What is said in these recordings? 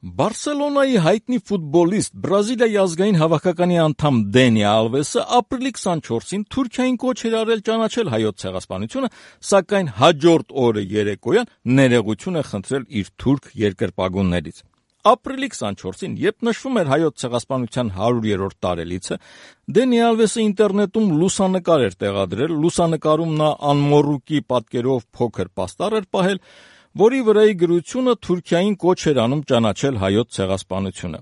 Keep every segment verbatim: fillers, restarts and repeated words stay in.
Բարսելոնայի հայտնի ֆուտբոլիստ, Բրազիլիայի ազգային հավաքականի անդամ Դենի Ալվեսը ապրիլի քսանչորսին Թուրքիային կոչ էր արել ճանաչել հայոց ցեղասպանությունը, սակայն հաջորդ օրը երեկոյան ներողություն է խնդրել իր թուրք երկրպագուներից։ Ապրիլի քսանչորսին, երբ նշվում էր հայոց ցեղասպանության հարյուրերորդ տարելիցը, Դենի Ալվեսը ինտերնետում լուսանկար էր տեղադրել, լուսանկարում նա անմոռուկի պատկերով փոքր պաստառ էր պահել, որի վրայի գրությունը Թուրքիային կոչ էր անում ճանաչել հայոց ցեղասպանությունը։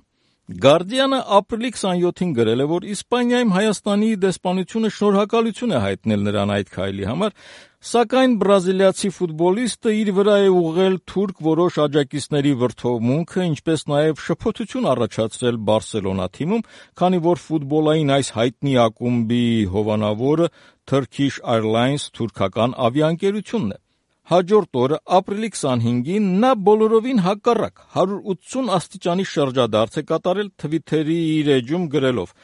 Գարդիանը ապրիլի քսանյոթին գրել է, որ Իսպանիայում Հայաստանի դեսպանությունը շնորհակալություն է հայտնել նրան այդ քայլի համար, սակայն բրազիլիացի ֆուտբոլիստը իր վրա է ուղղել թուրք որոշ աջակիցների վրդովմունքը, ինչպես նաև շփոթություն առաջացրել Բարսելոնա թիմում, քանի որ ֆուտբոլային այս հայտնի ակումբի հովանավորը Turkish Airlines թուրքական ավիաընկերությունն է։ Հաջորդ օրը, ապրիլի քսանհինգին, նա բոլորովին հակառակ հարյուր ութսուն աստիճանի շրջադարձ է կատարել Թվիթերի իր էջում գրելով.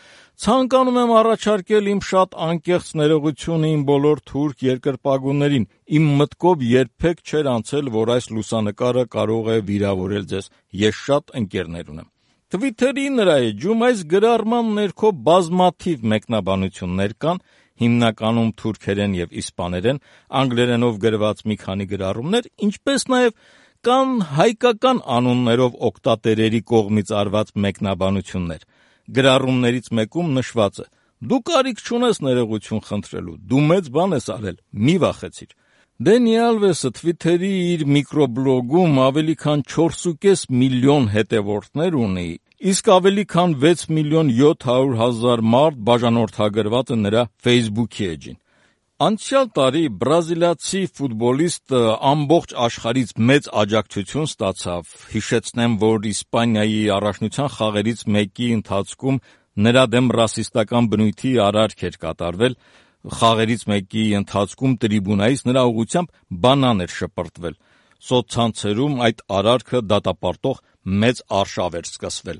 «Ցանկանում եմ առաջարկել իմ շատ անկեղծ ներողությունը իմ բոլոր թուրք երկրպագուներին, իմ մտքով երբեք չէր անցել, որ այս լուսանկարը կարող է վիրավորել ձեզ, ես շատ ընկերներ ունեմ»։ Թվիթերի նրա էջում այս գրառման ներքո բազմաթիվ մեկնաբանություններ կան, հիմնականում թուրքերեն եւ իսպաներեն, անգլերենով գրված մի քանի գրառումներ, ինչպես նաև կան հայկական անուններով օգտատերերի կողմից արված մեկնաբանություններ։ Գրառումներից մեկում նշված է. «Դու կարիք չունես ներողություն խնդրելու, դու մեծ բան ես արել, մի վախեցիր»։ Դենի Ալվեսը Թվիթերի իր միկրոբլոգում ավելի քան չորս ու կես միլիոն հետևորդներ ունի, իսկ ավելի քան վեց միլիոն յոթ հարյուր հազար մարդ բաժանորդագրված է նրա Facebook-ի էջին։ Անցյալ տարի բրազիլիացի ֆուտբոլիստը ամբողջ աշխարհից մեծ աջակցություն ստացավ։ Հիշեցնեմ, որ Իսպանիայի առաջնության խաղերից մեկի ընթացքում նրա դեմ ռասիստական բնույթի արարք էր կատարվել, խաղերից մեկի ընթացքում տրիբունայից նրա ուղղությամբ բանան էր շպրտվել։ Սոցցանցերում այդ արարքը դատապարտող մեծ արշավ էր սկսվել։